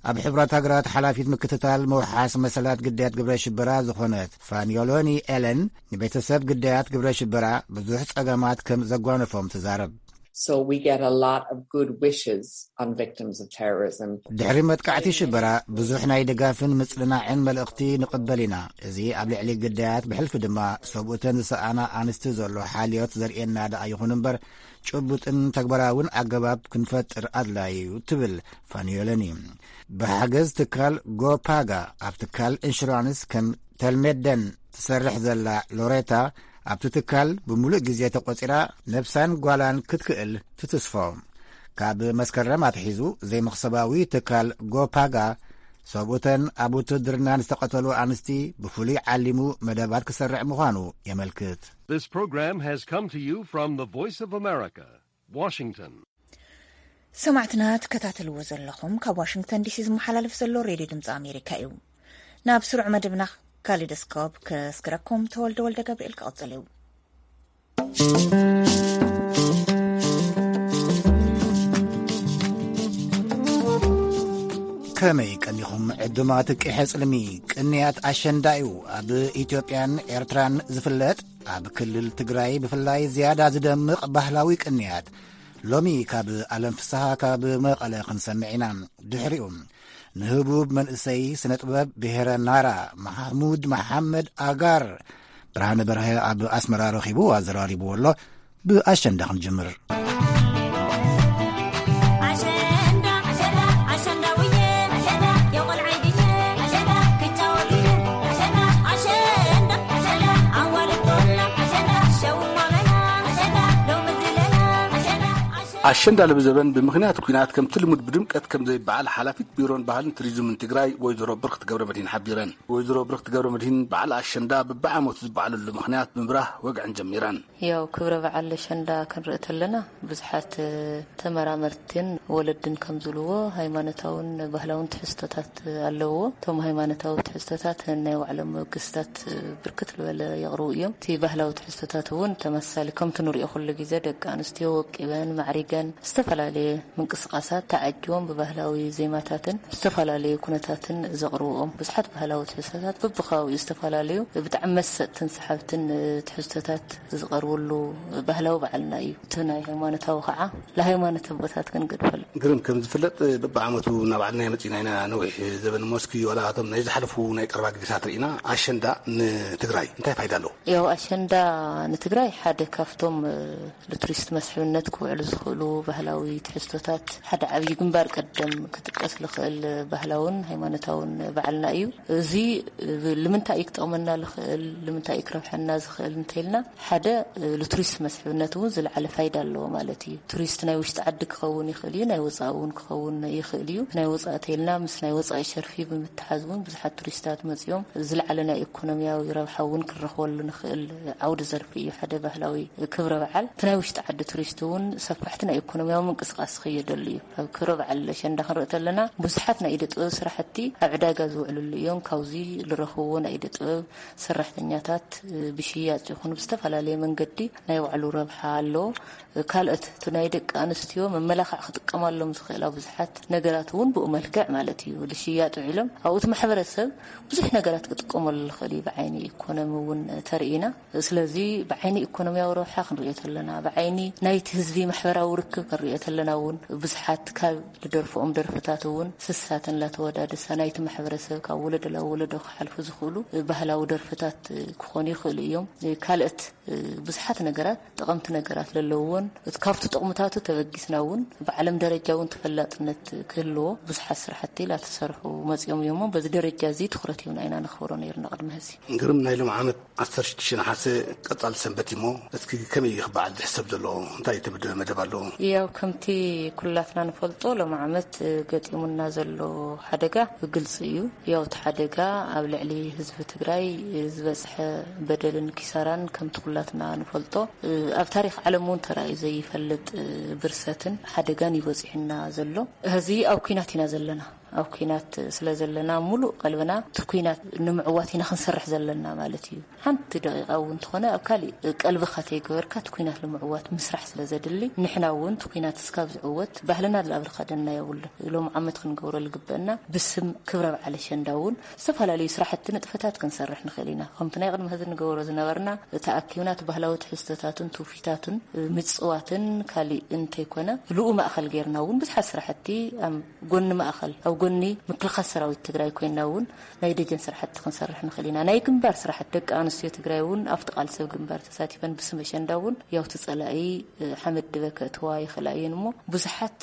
ኣብ ሕቡራት ሃገራት ሓላፊት ምክትታል ምውሓስ መሰላት ግዳያት ግብረ ሽበራ ዝኾነት ፋኒዮሎኒ ኤለን ንቤተሰብ ግዳያት ግብረ ሽበራ ብዙሕ ጸገማት ከም ዘጓነፎም ትዛረብ። So we get a lot of good wishes on victims of terrorism. ድሕሪ መጥቃዕቲ ሽበራ ብዙሕ ናይ ድጋፍን ምጽንናዕን መልእኽቲ ንቕበል ኢና። እዚ ኣብ ልዕሊ ግዳያት ብሕልፊ ድማ ሰብኡተን ዝሰኣና ኣንስቲ ዘሎ ሓልዮት ዘርእየና ደኣ ይኹን እምበር ጭቡጥን ተግባራውን ኣገባብ ክንፈጥር ኣድላዩ ትብል ፋኒዮለኒ። ብሓገዝ ትካል ጎፓጋ ኣብ ትካል ኢንሹራንስ ከም ተልሜደን ትሰርሕ ዘላ ሎሬታ ኣብቲ ትካል ብምሉእ ግዜ ተቖጺራ ነብሳን ጓላን ክትክእል ትትስፎ። ካብ መስከረም ኣትሒዙ ዘይመኽሰባዊ ትካል ጎፓጋ ሰብኡተን ኣብ ውትድርና ንዝተቐተሉ ኣንስቲ ብፍሉይ ዓሊሙ መደባት ክሰርዕ ምዃኑ የመልክት። This program has come to you from the Voice of America, Washington. ሰማዕትና ትከታተልዎ ዘለኹም ካብ ዋሽንግተን ዲሲ ዝመሓላለፍ ዘሎ ሬድዮ ድምፂ ኣሜሪካ እዩ። ናብ ስሩዕ መደብና ካሊዶስኮፕ ከስግረኩም ተወልደ ወልደ ገብርኤል ክቐፅል እዩ። ከመይ ቀኒኹም ዕዱማት ቂሐ ጽልሚ? ቅንያት ኣሸንዳ እዩ። ኣብ ኢትዮጵያን ኤርትራን ዝፍለጥ፣ ኣብ ክልል ትግራይ ብፍላይ ዝያዳ ዝደምቕ ባህላዊ ቅንያት። ሎሚ ካብ ኣለም ፍስሃ ካብ መቐለ ክንሰምዕ ኢና። ድሕሪኡ ንህቡብ መንእሰይ ስነ ጥበብ ብሄረ ናራ ማሕሙድ መሓመድ ኣጋር ብርሃነ በርሀ ኣብ ኣስመራ ረኺቡ ኣዘራሪብዎ ኣሎ። ብኣሸንዳ ክንጅምር። ኣሸንዳ ልብዘበን ብምኽንያት ኲናት ከምቲ ልሙድ ብድምቀት ከም ዘይበዓል ሓላፊት ቢሮን ባህልን ቱሪዝምን ትግራይ ወይዘሮ ብርክት ገብረ መድሂን ሓቢረን። ወይዘሮ ብርክት ገብረ መድሂን በዓል ኣሸንዳ በብዓመቱ ዝበዓለሉ ምኽንያት ብምብራህ ወግዐን ጀሚረን። ያው ክብረ በዓል ኣሸንዳ ክንርኢ ተለና ብዙሓት ተመራመርትን ወለድን ከም ዝብልዎ ሃይማኖታውን ባህላውን ትሕዝቶታት ኣለዎ። እቶም ሃይማኖታዊ ትሕዝቶታት ናይ ባዕሎም መበገስታት ብርክት ዝበለ የቕርቡ እዮም። እቲ ባህላዊ ትሕዝቶታት እውን ተመሳሳሊ ከምቲ ንሪኦ ኩሉ ግዜ ደቂ ኣንስትዮ ወቂበን ማዕሪገን ዝተፈላለየ ምንቅስቃሳት ተዓጅቦም ብባህላዊ ዜማታትን ዝተፈላለዩ ኩነታትን ዘቕርብኦም ብዙሓት ባህላዊ ትሕዝቶታት በብከባቢኡ ዝተፈላለዩ ብጣዕሚ መሰጥትን ሰሓብትን ትሕዝቶታት ዝቐርብሉ ባህላዊ በዓልና እዩ። እቲ ናይ ሃይማኖታዊ ከዓ ለሃይማኖት ኣቦታት ክንገድፈሉ። ግርም ከም ዝፍለጥ በብዓመቱ እናባዕልና መፂና ኢና ነዊሕ ዘበን ሞስኪ ዋላ እቶም ናይ ዝሓለፉ ናይ ቀረባ ግዜታት ርኢና ኣሸንዳ ንትግራይ እንታይ ፋይዳ ኣለዎ? ያው ኣሸንዳ ንትግራይ ሓደ ካብቶም ንቱሪስት መስሕብነት ክውዕሉ ዝኽእሉ ባህላዊ ትሕዝቶታት ሓደ ዓብዪ ግንባር ቀደም ክጥቀስ ዝኽእል ባህላውን ሃይማኖታውን በዓልና እዩ። እዚ ልምንታይ እዩ ክጠቕመና ዝኽእል ልምንታይ እዩ ክረብሐና ዝኽእል እንተይልና ሓደ ንቱሪስት መስሕብነት እውን ዝለዓለ ፋይዳ ኣለዎ ማለት እዩ። ቱሪስት ናይ ውሽጢ ዓዲ ክኸውን ይኽእል እዩ፣ ናይ ወፃኢ እውን ክኸውን ይኽእል እዩ። ናይ ወፃኢ ተይልና ምስ ናይ ወፃኢ ሸርፊ ብምትሓዝ እውን ብዙሓት ቱሪስታት መፂኦም ዝለዓለ ናይ ኢኮኖሚያዊ ረብሓ እውን ክንረኽበሉ ንኽእል ዓውዲ ዘርፊ እዩ ሓደ ባህላዊ ክብረ በዓል። እቲ ናይ ውሽጢ ዓዲ ቱሪስት እውን ሰፋሕቲ ናይ ኢኮኖሚያዊ ምንቅስቃስ ዝኽየደሉ እዩ። ኣብ ክብረ በዓል ኣሸንዳ ክንርኢ ተለና ብዙሓት ናይ ኢደ ጥበብ ስራሕቲ ኣብ ዕዳጋ ዝውዕልሉ እዮም። ካብዚ ዝረኽብዎ ናይ ኢደ ጥበብ ሰራሕተኛታት ብሽያጭ ይኹን ብዝተፈላለየ መንገዲ ናይ ባዕሉ ረብሓ ኣለዎ። ካልኦት እቲ ናይ ደቂ ኣንስትዮ መመላኽዕ ክጥቀማሎም ዝኽእላ ብዙሓት ነገራት እውን ብኡ መልክዕ ማለት እዩ ዝሽያጥ ውዒሎም ኣብኡ እቲ ማሕበረሰብ ብዙሕ ነገራት ክጥቀመሉ ዝኽእል እዩ። ብዓይኒ ኢኮኖሚ እውን ተርኢና። ስለዚ ብዓይኒ ኢኮኖሚያዊ ረብሓ ክንሪኦ ተለና ብዓይኒ ናይቲ ህዝቢ ማሕበራዊ ርክብ ክንሪኦ ተለና እውን ብዙሓት ካብ ዝደርፍኦም ደርፍታት እውን ስሳተን ላተወዳደሳ ናይቲ ማሕበረሰብ ካብ ወለዶ ላብ ወለዶ ክሓልፉ ዝኽእሉ ባህላዊ ደርፍታት ክኾኑ ይኽእሉ እዮም። ካልኦት ብዙሓት ነገራት ጠቐምቲ ነገራት ለለውዎን እቲ ካብቲ ጥቕምታቱ ተበጊስና እውን ብዓለም ደረጃ እውን ተፈላጥነት ክህልዎ ብዙሓት ስራሕቲ ላተሰርሑ መፂኦም እዮም። በዚ ደረጃ እዚ ትኩረት ሂብና ኢና ነኽብሮ ነይርና ቅድሚ ሕዚ። ግርም ናይ ሎም ዓመት ዓሰርተ ሽዱሽተ ነሓሰ ቀፃሊ ሰንበት እሞ እስኪ ከመይ እዩ ክበዓል ዝሕሰብ ዘሎ እንታይ ትምድ መደብ ኣለዎ? ያው ከምቲ ኩላትና ንፈልጦ ሎም ዓመት ገጢሙና ዘሎ ሓደጋ ግልፂ እዩ። ያው እቲ ሓደጋ ኣብ ልዕሊ ህዝቢ ትግራይ ዝበፅሐ በደልን ኪሳራን ከምቲ ኩላትና ንፈልጦ ኣብ ታሪክ ዓለም እውን ተራእዩ ዘይፈልጥ ብርሰትን ሓደጋን እዩ በፂሑና ዘሎ። ሕዚ ኣብ ኩናት ኢና ዘለና። ኣብ ኲናት ስለ ዘለና፣ ሙሉእ ቀልብና እቲ ኲናት ንምዕዋት ኢና ክንሰርሕ ዘለና ማለት እዩ። ሓንቲ ደቂቃ እውን እንተኾነ ኣብ ካሊእ ቀልብኻ ተይገበርካ እቲ ኲናት ንምዕዋት ምስራሕ ስለ ዘድሊ፣ ንሕና እውን እቲ ኲናት እስካብ ዝዕወት ባህልና ዝኣብርካ ደና የብሉ። ሎም ዓመት ክንገብሮ ዝግበአና ብስም ክብረ በዓል ኣሸንዳ እውን ዝተፈላለዩ ስራሕቲ ንጥፈታት ክንሰርሕ ንኽእል ኢና። ከምቲ ናይ ቅድሚ ሕዚ ንገብሮ ዝነበርና፣ ተኣኪብና እቲ ባህላዊ ትሕዝቶታትን ትውፊታትን ምጽዋትን ካሊእ እንተይኮነ፣ ልኡ ማእኸል ጌርና እውን ብዙሓት ስራሕቲ ኣብ ጎኒ ማእኸል፣ ኣብ ጎኒ ምክልኻል ሰራዊት ትግራይ ኮይና እውን ናይ ደጀን ስራሕቲ ክንሰርሕ ንኽእል ኢና። ናይ ግንባር ስራሕቲ፣ ደቂ ኣንስትዮ ትግራይ እውን ኣብቲ ቃልሲ ኣብ ግንባር ተሳቲፈን ብስም ኣሸንዳ እውን ያውቲ ጸላኢ ሓመድ ድበ ከእትዋ ይኽእላ እየን እሞ፣ ብዙሓት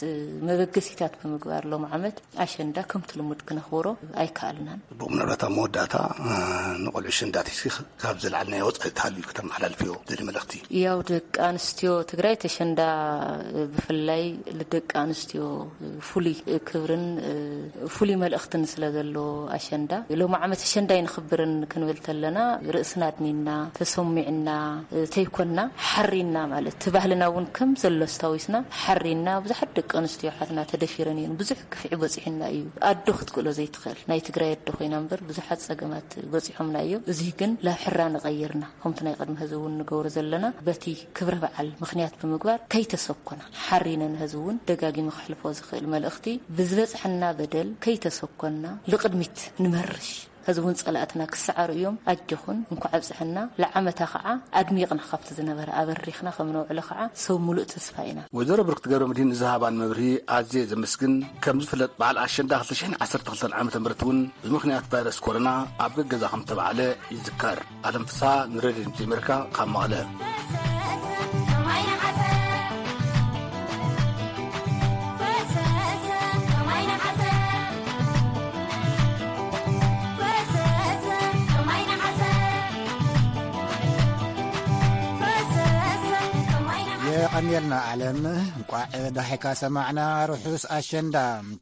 መበገሲታት ብምግባር ሎም ዓመት ኣሸንዳ ከምቲ ልሙድ ክነኽብሮ ኣይከኣልናን። ብኡ ምናልባት ኣብ መወዳእታ ንቆልዑ ኣሸንዳ ቲሲ ካብ ዘለዓልናዮ ወፃኢ ተሃልዩ ከተመሓላልፍዮ ዘለ መልእኽቲ? ያው ደቂ ኣንስትዮ ትግራይ ተሸንዳ ብፍላይ ልደቂ ኣንስትዮ ፍሉይ ክብርን ፍሉይ መልእኽትን ስለ ዘሎ ኣሸንዳ ሎም ዓመት ኣሸንዳ ይንኽብርን ክንብል ተለና ርእስና ኣድኒና ተሰሚዕና ተይኮና ሓሪና ማለት እቲ ባህልና እውን ከም ዘሎ ኣስታዊስና ሓሪና ብዙሓት ደቂ ኣንስትዮ ሓትና ተደፊረን እየን። ብዙሕ ክፍዒ በፂሑና እዩ። ኣዶ ክትክእሎ ዘይትኽእል ናይ ትግራይ ኣዶ ኮይና እምበር ብዙሓት ፀገማት በፂሖምና እዮም። እዚ ግን ላብ ሕራ ንቐይርና ከምቲ ናይ ቅድሚ ህዚ እውን ንገብሮ ዘለና በቲ ክብረ በዓል ምኽንያት ብምግባር ከይተሰኮና ሓሪነን ህዚ እውን ደጋጊመ ክሕልፎ ዝኽእል መልእኽቲ ብዝበፅሐና በደል ከይተሰኮና ልቕድሚት ንመርሽ። ሕዚ እውን ጸላእትና ክሰዓሩ እዮም። ኣጆኹን እንኳዕ ኣብጽሐና። ለዓመታ ኸዓ ኣድሚቕና ካብቲ ዝነበረ ኣበሪኽና ከም ነውዕሎ ኸዓ ሰብ ሙሉእ ተስፋ ኢና። ወይዘሮ ብርክቲ ገብረ መድህን ንዝሃባን መብርሂ ኣዝየ ዘመስግን። ከም ዝፍለጥ በዓል ኣሸንዳ ክልተ ሽሕን ዓሰርተ ክልተን ዓመተ ምህረት እውን ብምኽንያት ቫይረስ ኮሮና ኣብ ገገዛ ከም ተባዕለ ይዝከር። ኣለም ፍስሃ ንሬድዮ ድምፂ ኣሜሪካ ካብ መቐለ። የቐንየልና ኣለም፣ እንቋዕ ዳሒካ ሰማዕና። ርሑስ ኣሸንዳ።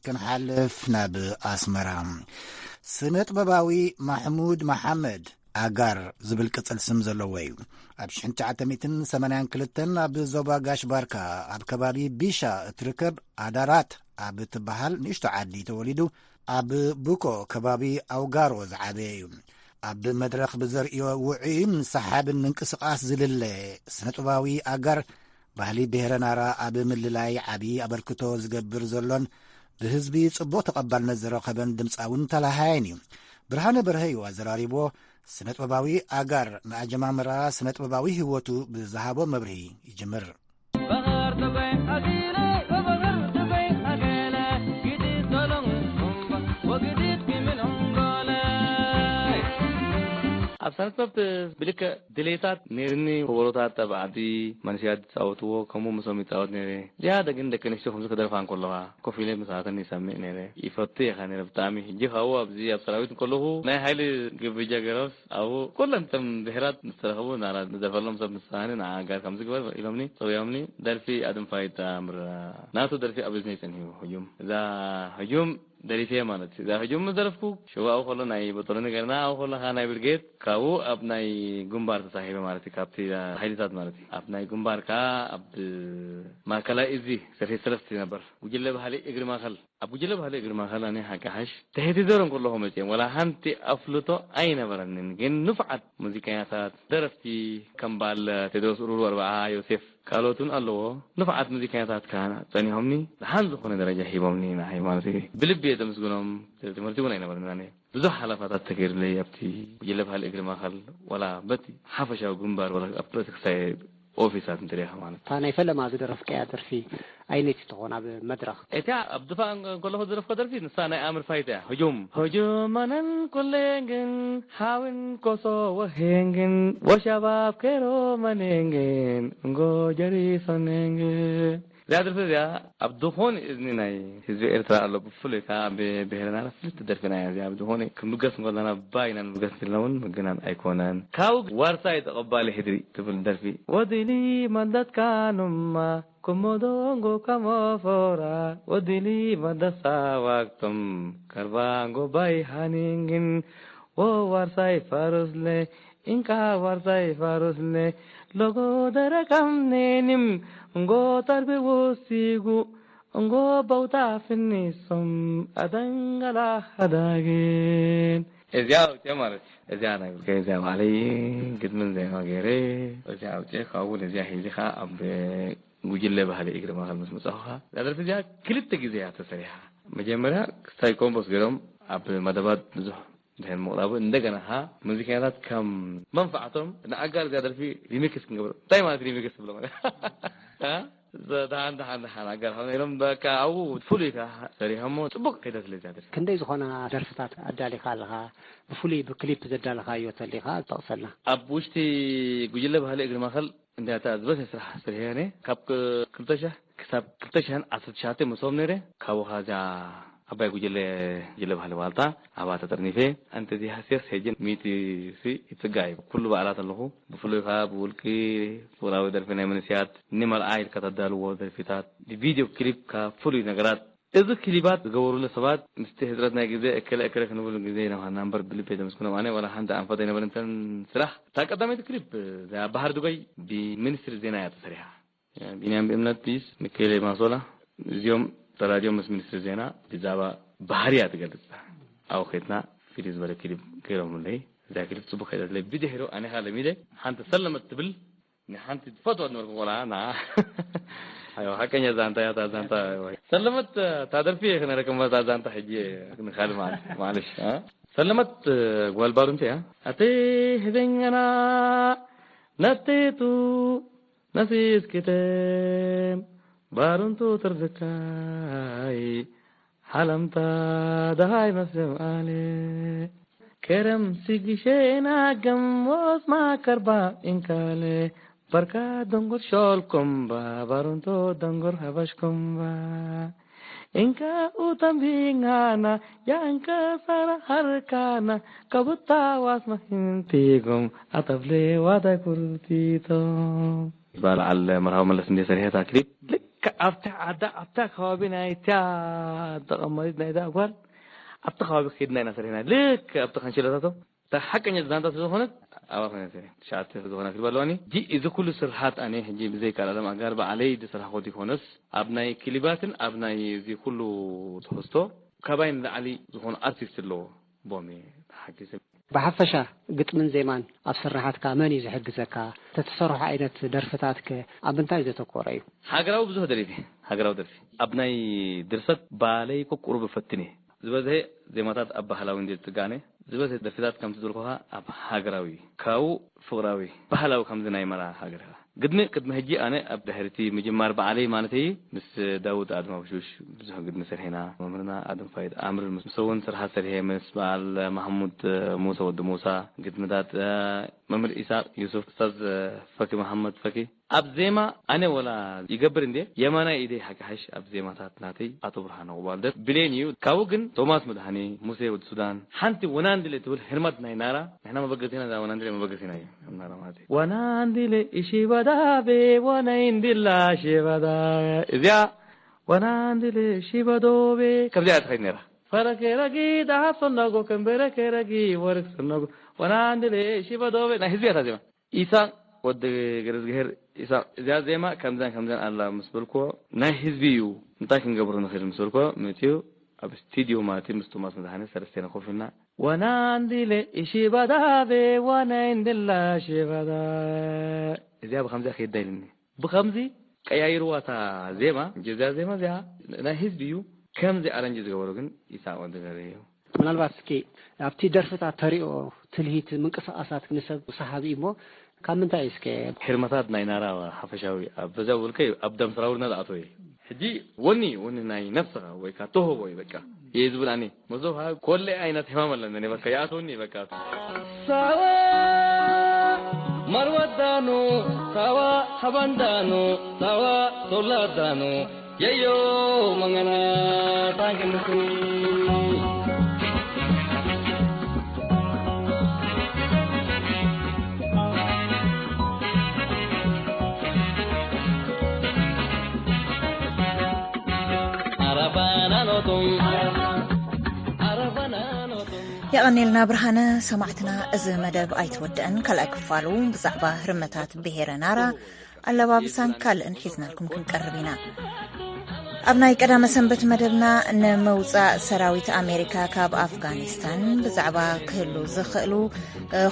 ክንሓልፍ ናብ ኣስመራ። ስነ ጥበባዊ ማሕሙድ መሓመድ ኣጋር ዝብል ቅጽል ስም ዘለዎ እዩ። ኣብ ሽሕን ትሽዓተ ሚእትን ሰማንያን ክልተን ኣብ ዞባ ጋሽ ባርካ ኣብ ከባቢ ቢሻ እትርከብ ኣዳራት ኣብ እትበሃል ንእሽቶ ዓዲ ተወሊዱ፣ ኣብ ቡኮ ከባቢ ኣውጋሮ ዝዓበየ እዩ። ኣብ መድረኽ ብዘርእዮ ውዑይን ሰሓብን ምንቅስቓስ ዝልለ ስነ ጥበባዊ ኣጋር ባህሊ ብሄረ ናራ ኣብ ምልላይ ዓቢ ኣበርክቶ ዝገብር ዘሎን ብህዝቢ ጽቡቕ ተቐባልነት ዝረኸበን ድምጻውን ተላሃያይን እዩ። ብርሃነ በርሀ እዩ ኣዘራሪብዎ። ስነ ጥበባዊ ኣጋር ንኣጀማምራ ስነ ጥበባዊ ህይወቱ ብዝሃቦ መብርሂ ይጅምር። ኣብ ሳንስፖርት ብልክዕ ድሌታት ነይርኒ። ከበሮታት ኣብ ዓዲ መንእሰያት ዝፃወትዎ ከምኡ ምሶም ይፃወት ነይረ። ዝያዳ ግን ደቂ ኣንስትዮ ከምዚ ክደርፋ እንከለዋ ኮፍ ኢለ ምሳተን ይሰምዕ ነይረ። ይፈቱ ኢኻ ነይረ ብጣዕሚ። ሕጂ ካብኡ ኣብዚ ኣብ ሰራዊት እንከለኹ ናይ ሓይሊ ግብጃ ገይሮስ ኣብኡ ኩለን እተን ብሄራት ምስ ተረኸቡ ናራ ንደርፈሎም ሰብ ምሳኒ ንዓ ጋር ከምዚ ግበር ኢሎምኒ ፀውዮምኒ። ደርፊ ኣድንፋይ ጣምራ ናቱ ደርፊ ኣብ እዝነይ ፀኒሑ ህጁም። እዛ ህጁም ደሪፌ ማለት እዩ። እዛ ሕጂ ምስ ደረፍኩ ሽዋ ኣብኡ ከሎ ናይ በጦሎኒ ገርና ኣብኡ ከሎ ከኣ ናይ ብርጌድ ካብኡ ኣብ ናይ ግንባር ተሳሂበ ማለት እዩ። ካብቲ ሓይልታት ማለት እዩ። ኣብ ናይ ግንባር ከኣ ኣብ ማእከላይ እዚ ሰፊት ሰለፍቲ ነበር። ጉጅለ ባህሊ እግሪ ማእከል፣ ኣብ ጉጅለ ባህሊ እግሪ ማእከል ኣነ ሓቂ ሓሽ ትሕቲ ዘሮ እንከለኹ መጽኦም ወላ ሓንቲ ኣፍልጦ ኣይነበረንን። ግን ንፉዓት ሙዚቀኛታት፣ ደረፍቲ ከም በዓል ቴድሮስ ኡሩሩ ኣርብዓ፣ ዮሴፍ ካልኦትን ኣለዎ። ንፉዓት ሙዚቀኛታት ከኣ ጸኒሖምኒ፣ ደሓን ዝኾነ ደረጃ ሂቦምኒ ንዓይ ማለት እዩ። ብልቢ እየ ዘመስግኖም። ትምህርቲ እውን ኣይነበረንን ኣነ። ብዙሕ ሓለፋታት ተገይሩለይ ኣብቲ ጉጅለ ባህሊ እግሪ ማእከል፣ ዋላ በቲ ሓፈሻዊ ግንባር፣ ዋላ ኣብ ክሳይ ኦፊሳት እንተሪኢኻ ማለት እዩ። እታ ናይ ፈለማ ዝደረፍካያ ደርፊ ኣይነይቲ ትኾን ኣብ መድረኽ? እታ ኣብ ድፋዕ እንከለኹ ዝደረፍኩ ደርፊ ንሳ ናይ ኣምር ፋይት እያ። ህጁም። ህጁም ኣነን ኩሌን ግን ሓውን ኮሶ ወሄን ግን ወሻባብ ኬሮ መኔን ግን እንጎ ጀሪሶኔን ግን። እዚኣ ደርፊ እዚኣ ኣብ ዝኾነ እዝኒ ናይ ህዝቢ ኤርትራ ኣሎ፣ ብፍሉይ ከኣ ኣብ ብሄርና ፍልጥቲ ደርፊና እያ እዚኣ። ኣብ ዝኾነ ክንብገስ እንከለና ባይና ንብገስ እንተልና እውን ምግናን ኣይኮነን። ካብኡ ዋርሳይ ተቐባሊ ሕድሪ ትብል ደርፊ። ወዲሊ መደትካኑማ ኩሞዶንጎ ከሞፎራ ወዲሊ መደሳ ዋክቶም ከርባንጎ ባይ ሃኒንግን ወዋርሳይ ፋሩስለ ኢንካ ዋርሳይ ፋሩስለ ሎጎ ደረቀም ኔኒም እንጎ ተርቢ ወሲጉ እንጎ በውታ ፍኒሶም ኣደንገላ ሃዳግን። እዚኣ ውፅኦ ማለት እዚኣ ናይ ብልከ እዚኣ ባዕለይ ግጥምን ዜማ ገይረ። እዚኣ ውፅኦ ካብኡ እውን እዚኣ ሒዚ ከዓ ኣብ ጉጅለ ባህሊ እግሪ ማእኸል ምስ መፃኹ ከዓ እዛ ደርፊ እዚኣ ክልተ ግዜ እያ ተሰሪሓ። መጀመርያ ክስታይ ኮምፖስ ገይሮም ኣብ መደባት ብዙሕ ድሕን ምቕራቡ እንደገና ኸዓ ሙዚቀኛታት ከም መንፋዕቶም ንኣጋር እዚኣ ደርፊ ሪሚክስ ክንገብር። እንታይ ማለት ሪሚክስ ትብሎ ማለት? እ? ደሓን ደሓን ደሓን ኣጋር ኾነ ኢሎም በቃ ኣብኡ ፍሉይ ከ ሰሪሖሞ። ፅቡቅ ከይደት ስለ እዚኣ ደርፊ። ክንደይ ዝኾና ደርፍታት ኣዳሊኻ ኣለኻ? ብፍሉይ ብክሊፕ ዘዳለኻዮ ተሊኻ ጠቕሰልና። ኣብ ውሽጢ ጉጅለ ባህሊ እግሪ ማእኸል እንዲያታ ዝበዝሐ ስራሕ ስርሕየ ነየ። ካብ ክ-፣ ክልተ ሺሕ ክሳብ ክልተ ሺሕን ዓሰርተ ትሽዓተ መሶብ ነይረ። ካብኡ ኸዓ እዚኣ ዓባይ ጉጅለ፣ ጉጅለ ባህሊ ዋልታ ኣብኣ ተጠርኒፈ። ኣንቲ እዚ ሃስየስ ሕጂ ሚእቲ ሲ ይጽጋዕ እዩ። ኩሉ በዓላት ኣለኹ። ብፍሉይ ኸዓ ብውልቂ ፍቕራዊ ደርፊ ናይ መንእሰያት ንመርዓ ኢልካ ተዳልዎ ደርፊታት፣ ብቪድዮ ክሊፕ ከኣ ፍሉይ ነገራት። እዚ ክሊባት ዝገበሩሉ ሰባት ምስቲ ሕጽረት ናይ ግዜ እከለ እከለ ክንብል ግዜ ኢና ኾንና እምበር ብልቢ የመስግኖም። ኣነ ዋላ ሓንቲ ኣንፈት ኣይነበረንተን ስራሕ። እታ ቀዳመይቲ ክሊፕ እዚኣ ባህር ዱባይ ብሚኒስትሪ ዜና እያ ተሰሪሓ። ቢንያም ብእምነት ፒስ፣ ሚካኤል ማሶላ፣ እዚኦም ተራዲዮም ምስ ሚኒስትሪ ዜና ብዛዕባ ባህርያ ትገልጽ። ኣብኡ ኸድና ፍልይ ዝበለ ክሊፕ ገይሮምለይ። እዛ ክሊፕ ጽቡቕ ከይደትለይ ብድሕሪኡ ኣነ ኸኣ ለሚደ ሓንቲ ሰለመት ትብል ንሓንቲ ትፈትዋ ዝነበርኩ ቆልዓ ና። ኣዮ፣ ሓቀኛ ዛንታ እያ እታ ዛንታ። ሰለመት፣ እታ ደርፊ እየ ክነረክም እታ ዛንታ ሕጂ ንኻልእ መዓልቲ፣ ማዕለሽ፣ እ? ሰለመት ጓል ባሩንተ እያ። ኣቲ ህበኛና ነቴቱ ነሲስኪተም ባሩንቱ ትርዝካይ ሓለምታ ደሃይ መስም ኣለ ከረም ሲግሼና ገሞስ ማከርባ እንካለ በርካ ደንጎር ሾልኮምባ ባሩንቶ ደንጎር ሃባሽኮምባ እንካ ኡተምቢንጋና ያንከ ሰራ ሃርካና ከቡታ ዋስ መህንቲጎም ኣተብሌ ዋታይ ኩርቲቶም። በዓል መርሃዊ መለስ እንደ ሰሪሐታ ክሊፕ ልክ ኣብታ ዓዳ ኣብታ ከባቢ ናይታ ተቐማሪት ናይዛ ጓል ኣብቲ ከባቢ ከይድና ኢና ሰሪሕና። ልክ ኣብቲ ካንሽሎታቶም እታ ሓቀኛ ዛንታ ስለ ዝኾነት ኣብኣ ኮይና ሰሪሐ። ትሽዓተ ዝኾና ክሊፕ ኣለዋኒ። ሕጂ እዚ ኩሉ ስርሓት ኣነ ሕጂ ብዘይካ ኣለም ኣጋር ባዕለይ ዝሰርሓኹ ይኮነስ ኣብ ናይ ክሊባትን ኣብ ናይ እዚ ኩሉ ትሕዝቶ ካባይ ንላዕሊ ዝኾኑ ኣርቲስት ኣለዎ ቦም እየ ተሓጊዘ። ብሓፈሻ ግጥምን ዜማን ኣብ ስርሓትካ መን እዩ ዝሕግዘካ? ተትሰርሖ ዓይነት ደርፍታትከ ኣብ ምንታይ ዘተኮረ እዩ? ሃገራዊ ብዙሕ ደሪፈ። ሃገራዊ ደርፊ ኣብ ናይ ድርሰት ባለይ እኮ ቁሩብ እፈትን እየ። ዝበዝሐ ዜማታት ኣብ ባህላዊ እንድየ ዝጽጋነ። ዝበዝሐ ደርፍታት ከምቲ ዝበልኩኻ ኣብ ሃገራዊ እዩ። ካብኡ ፍቕራዊ፣ ባህላዊ ከምዚ ናይ መርዓ ሃገርካ። ግድሚ ቅድሚ ሕጂ ኣነ ኣብ ድሕሪቲ ምጅማር በዓለይ ማለተይ ምስ ዳውድ ኣድማውሹሽ ብዙሕ ግድሚ ሰርሒና። መምህርና ኣድም ፋይድ ኣምር ምስ፣ ምስ እውን ስርሓት ሰርሔ ምስ በዓል ማሕሙድ ሙሳ ወዲ ሙሳ ግድምታት፣ እ፣ መምህር ኢሳቅ ዩሱፍ፣ ኡስታዝ ፈኪ መሓመድ ፈኪ። ኣብ ዜማ ኣነ ወላ ይገብር እንዴ የማናይ ኢደይ ሓቂ ሓሽ ኣብ ዜማታት ናተይ ኣቶ ብርሃነ ቁባልደር ብሌን እዩ። ካብኡ ግን ቶማስ መድሃኔ፣ ሙሴ ወዲ ሱዳን፣ ሓንቲ ወናንድሌ ትብል ህርመት ናይ ናራ። ንሕና መበገሲና እዛ ወናንድሌ መበገሲና እዩ። ኣብ ናራ ማለት እዩ። ወናንድሌ እሺ በዳቤ ወናይ እንድላ እሺ በዳ። እዚኣ ወናንድሌ እሺ በዶቤ ከምዚኣ እያ ትኸይድ ነይራ። ፈረኬ ረጊ ደሃብ ሰነጎ ከንበረኬ ረጊ ወርቅ ሰነጎ ወናንድሌ እሺ በዶቤ ናይ ህዝቢ እያ እታ ዜማ። ኢሳቅ ወዲ ገረዝግሄር ኢሳቅ፣ እዚኣ ዜማ ከምዛን ከምዛን ኣላ ምስ በልክዎ፣ ናይ ህዝቢ እዩ፣ እንታይ ክንገብሮ ንኽእል ምስ በልክዎ፣ መጺኡ ኣብ ስቱድዮ ማለት እዩ፣ ምስ ቶማስ መድሃኔ ሰለስቴና ኮፍ ኢልና፣ "ዋና እንዲለ እሺ ባዳቤ፣ ዋና እንድላ እሺ ባዳ፣ እዚኣ ብኸምዚኣ ከይዳ" ኢልኒ። ብኸምዚ ቀያይርዋ እታ ዜማ፣ እዚኣ ዜማ እዚኣ ናይ ህዝቢ እዩ፣ ከምዚ ኣረንጅ ዝገበሮ ግን ኢሳቅ ወዲ ገረዝግሄር እዩ። ምናልባት እስኪ ኣብቲ ደርፍታት ተሪኦ ትልሂት ምንቅስቓሳት ንሰብ ሰሓቢ እዩ እሞ ካብ ምንታይ እዩ እስከ? ህርመታት ናይ ናራ ሓፈሻዊ ኣብ በዛ ውልቀ ኣብ ደም ሰራውርና ዝኣተወ እዩ። ሕጂ ወኒ፣ ወኒ ናይ ነፍስኻ ወይ ከዓ ተውህቦ እዩ በቃ። እየ ዝብል ኣነ። መሶብ ሃ-፣ ኮለ ዓይነት ሕማም ኣለኒ በቃ፣ ይኣትወኒ በቃ። ሳዋ ማርዋዳኑ፣ ሳዋ ሃባንዳኑ፣ ሳዋ ሶላዳኑ፣ የዮ መንገና ታንክንኩ። የቐኔልና ብርሃነ። ሰማዕትና፣ እዚ መደብ ኣይተወድአን። ካልኣይ ክፋሉ ብዛዕባ ህርመታት ብሄረ ናራ፣ ኣለባብሳን ካልእን ሒዝናልኩም ክንቀርብ ኢና። ኣብ ናይ ቀዳመ ሰንበት መደብና፣ ንምውጻእ ሰራዊት ኣሜሪካ ካብ ኣፍጋኒስታን ብዛዕባ ክህሉ ዝኽእሉ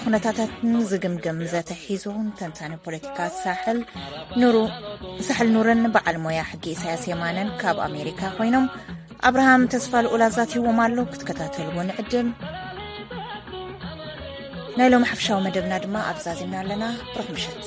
ኩነታታትን ዝግምግም ዘተ ሒዙ ተንታኒ ፖለቲካ ሳሕል ኑሩ ሳሕል ኑርን በዓል ሞያ ሕጊ ኢሳያስ የማነን ካብ ኣሜሪካ ኮይኖም፣ ኣብርሃም ተስፋ ልኡል ኣዛቲዎም ኣሎ። ክትከታተልዎ ንዕድም። ናይ ሎም ሓፍሻዊ መደብና ድማ ኣብዛዚምና ኣለና። ብሩኽ ምሸት።